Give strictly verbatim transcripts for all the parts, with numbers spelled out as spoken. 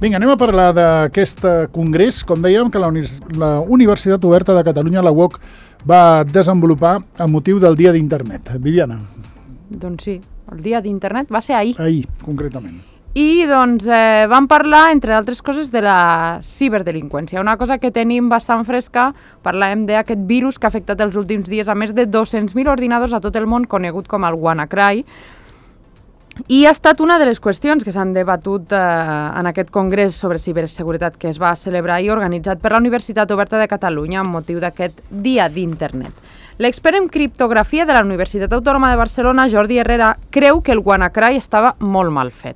Vinga, anem a parlar d'aquest congrés, com dèiem, que la, Uni la Universitat Oberta de Catalunya, la U O C, va desenvolupar a motiu del Dia d'Internet. Viviana. Doncs sí, el Dia d'Internet va ser ahir. Ahir, concretament. I doncs eh, vam parlar, entre altres coses, de la ciberdelinqüència. Una cosa que tenim bastant fresca, parlàvem d'aquest virus que ha afectat els últims dies a més de dos-cents mil ordinadors a tot el món, conegut com el WannaCry. I ha estat una de les qüestions que s'han debatut eh, en aquest congrés sobre ciberseguretat que es va celebrar i organitzat per la Universitat Oberta de Catalunya amb motiu d'aquest Dia d'Internet. L'expert en criptografia de la Universitat Autònoma de Barcelona, Jordi Herrera, creu que el WannaCry estava molt mal fet.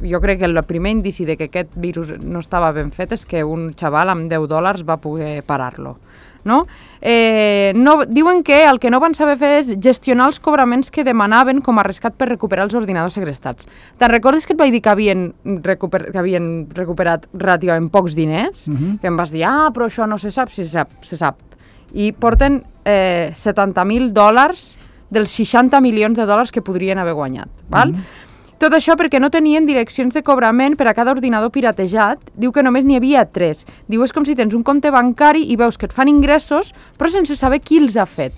Jo crec que el primer indici de que aquest virus no estava ben fet és que un xaval amb deu dòlars va poder parar-lo. No? Eh, no, diuen que el que no van saber fer és gestionar els cobraments que demanaven com a rescat per recuperar els ordinadors segrestats. Te'n recordes que et vaig dir que havien, recuper, que havien recuperat relativament pocs diners? Uh-huh. Que em vas dir, ah, però això no se sap, si se sap, se sap. I porten eh, setanta mil dòlars dels seixanta milions de dòlars que podrien haver guanyat. Val? Uh-huh. Tot això perquè no tenien direccions de cobrament per a cada ordinador piratejat. Diu que només n'hi havia tres. Diu, és com si tens un compte bancari i veus que et fan ingressos, però sense saber qui els ha fet.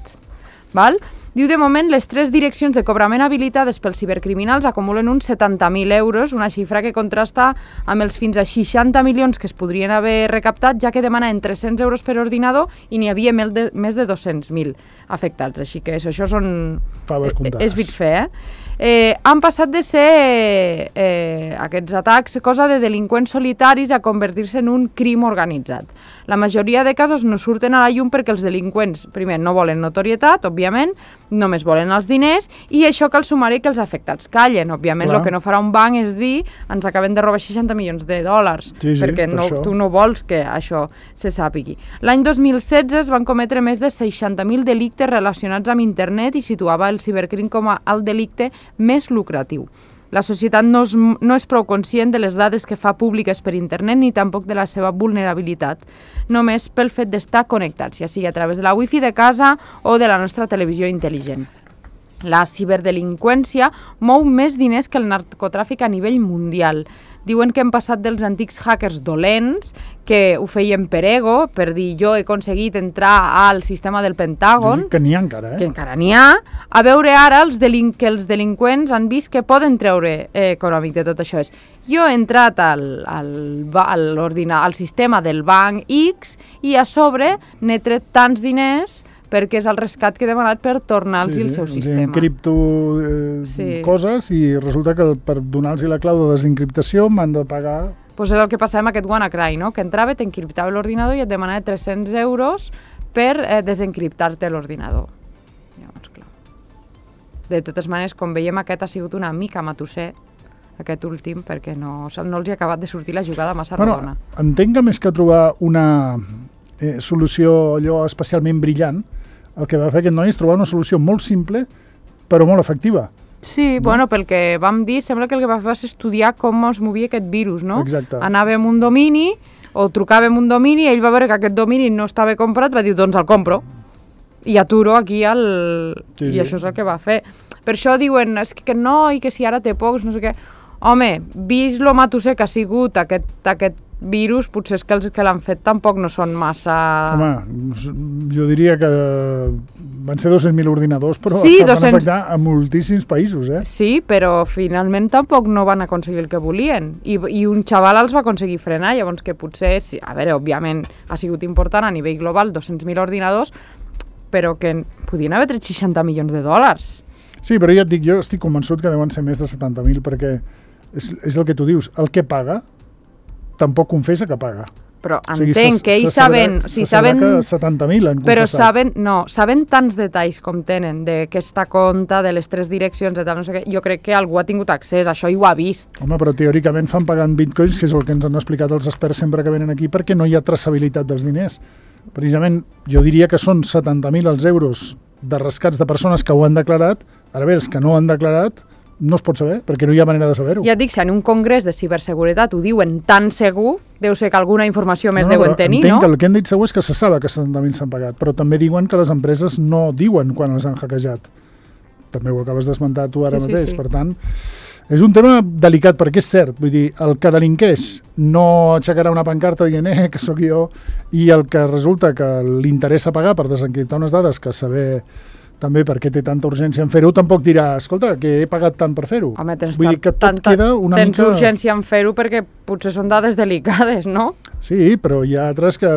Val? Diu, de moment, les tres direccions de cobrament habilitades pels cibercriminals acumulen uns setanta mil euros, una xifra que contrasta amb els fins a seixanta milions que es podrien haver recaptat, ja que demanaven tres-cents euros per ordinador i n'hi havia més de dos-cents mil afectats. Així que això són... Faves comptades. És vit fer, eh? Eh, han passat de ser eh, aquests atacs cosa de delinqüents solitaris a convertir-se en un crim organitzat. La majoria de casos no surten a la llum perquè els delinqüents, primer, no volen notorietat, òbviament, només volen els diners, i això cal sumar-hi que els afectats callen. Òbviament, el que no farà un banc és dir ens acabem de robar seixanta milions de dòlars, sí, sí, perquè per no, tu no vols que això se sàpigui. L'any dos mil setze es van cometre més de seixanta mil delictes relacionats amb internet i situava el cibercrim com a el delicte més lucratiu. La societat no és, no és prou conscient de les dades que fa públiques per internet ni tampoc de la seva vulnerabilitat, només pel fet d'estar connectats, ja sigui a través de la wifi de casa o de la nostra televisió intel·ligent. La ciberdelinqüència mou més diners que el narcotràfic a nivell mundial. Diuen que hem passat dels antics hackers dolents, que ho feien per ego, per dir jo he aconseguit entrar al sistema del Pentàgon, que n'hi ha encara, eh? que encara n'hi ha, a veure ara els delin que els delinqüents han vist que poden treure eh, econòmic de tot això. És, jo he entrat al, al, al, al sistema del banc X i a sobre n'he tret tants diners perquè és el rescat que he demanat per tornar-los sí, el seu sí, sistema. Encripto eh, sí. coses i resulta que per donar-los la clau de desencriptació m'han de pagar... Pues és el que passava amb aquest WannaCry, no? Que entrava, t'encriptava l'ordinador i et demanava tres-cents euros per eh, desencriptar-te l'ordinador. Llavors, clar. De totes maneres, com veiem, aquest ha sigut una mica matusser, aquest últim, perquè no, no els hi ha acabat de sortir la jugada massa bueno, rodona. Entenc que més que trobar una eh, solució allò especialment brillant, el que va fer aquest noi és trobar una solució molt simple, però molt efectiva. Sí, no? Bueno, pel que vam dir, sembla que el que va fer va ser estudiar com es movia aquest virus, no? Exacte. Anava amb un domini, o trucava amb un domini, i ell va veure que aquest domini no estava comprat, va dir, doncs el compro. I aturo aquí el... Sí, I sí. això és el que va fer. Per això diuen, és que no, i que si ara té pocs, no sé què... Home, vist lo matusser que ha sigut aquest, aquest virus, potser és que els que l'han fet tampoc no són massa... Home, jo diria que van ser dos-cents mil ordinadors, però sí, van dos-cents... afectar a moltíssims països, eh? Sí, però finalment tampoc no van aconseguir el que volien. I, i un xaval els va aconseguir frenar, llavors que potser, sí, a veure, òbviament ha sigut important a nivell global, dos-cents mil ordinadors, però que podien haver tret seixanta milions de dòlars. Sí, però ja et dic, jo estic convençut que deuen ser més de setanta mil, perquè és, és el que tu dius, el que paga tampoc confessa que paga. Però o sigui, entenc se, que ells se sabrà, saben... Si se sabrà saben que setanta mil han confessat. Però saben, no, saben tants detalls com tenen d'aquesta compta, de les tres direccions, de tal, no sé què, jo crec que algú ha tingut accés, això i ho ha vist. Home, però teòricament fan pagant bitcoins, que és el que ens han explicat els experts sempre que venen aquí, perquè no hi ha traçabilitat dels diners. Precisament, jo diria que són setanta mil els euros de rescats de persones que ho han declarat, ara bé, els que no han declarat, no es pot saber, perquè no hi ha manera de saber-ho. Ja et dic, si en un congrés de ciberseguretat ho diuen tan segur, deu ser que alguna informació més no, no, deuen tenir, entenc no? Que el que han dit segur és que se sap que setanta mil s'han pagat, però també diuen que les empreses no diuen quan els han hackejat. També ho acabes d'esmentar tu ara sí, mateix, sí, sí. per tant, És un tema delicat, perquè és cert, vull dir, el que delinqueix no aixecarà una pancarta dient eh, que sóc jo, i el que resulta que li interessa pagar per desencriptar unes dades que saber també per què té tanta urgència en fer-ho, tampoc dirà, escolta, que he pagat tant per fer-ho. Home, tens, vull dir que tot tanta, queda una tens mica... urgència en fer-ho perquè potser són dades delicades, no? Sí, però hi ha altres que,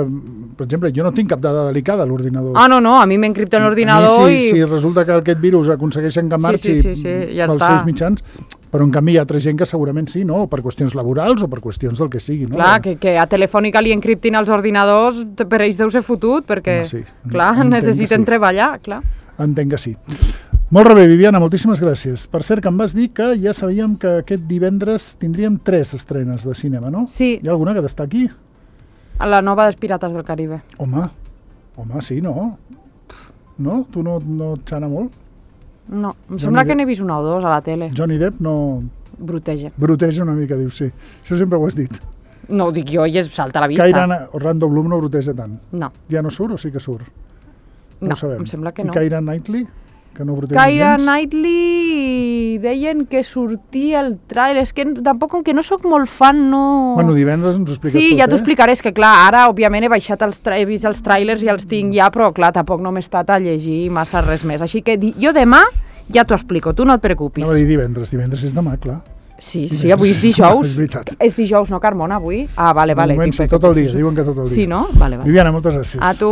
per exemple, jo no tinc cap dada delicada a l'ordinador. Ah, no, no, a mi m'encripten l'ordinador si, i... Si resulta que aquest virus aconsegueixen que marxi sí, sí, sí, sí, ja pels està. seus mitjans, però en canvi hi ha altra gent que segurament sí, no? O per qüestions laborals o per qüestions del que sigui, no? Clar, que, que a Telefònica li encriptin els ordinadors, per ells deu ser fotut, perquè, Home, sí. clar, Entenc necessiten sí. treballar, clar. Entenc que sí. Molt bé, Viviana, moltíssimes gràcies. Per cert, que em vas dir que ja sabíem que aquest divendres tindríem tres estrenes de cinema, no? Sí. Hi ha alguna que destaqui? A la nova dels Pirates del Caribe. Home, home, sí, no? No? Tu no, no et xana molt? No, em Johnny sembla que Depp. n'he vist una o dos a la tele. Johnny Depp no... Bruteja. Bruteja una mica, dius, sí. Això sempre ho has dit. No ho dic jo i es salta a la vista. Kyra Orlando Bloom no bruteja tant. No. Ja no surt o sí que surt? No, No, ho sabem. em sembla que no. I Keira Knightley? Que no bruteja Keira gens? Knightley deien que sortia el trailer, és que tampoc com que no sóc molt fan, no... Bueno, divendres ens ho expliques Sí, tot, ja t'ho eh? explicaré, és que clar, ara òbviament he baixat els tra he vist els trailers i els tinc ja, però clar, tampoc no m'he estat a llegir massa res més, així que di jo demà ja t'ho explico, tu no et preocupis. No va dir divendres, divendres és demà, clar. Sí, sí, avui és dijous. És veritat. És dijous, no, Carmona, avui? Ah, vale, vale. De moment sí, tot el dia, diuen que tot el dia. Sí, no? Vale, vale. Viviana, moltes gràcies. A tu.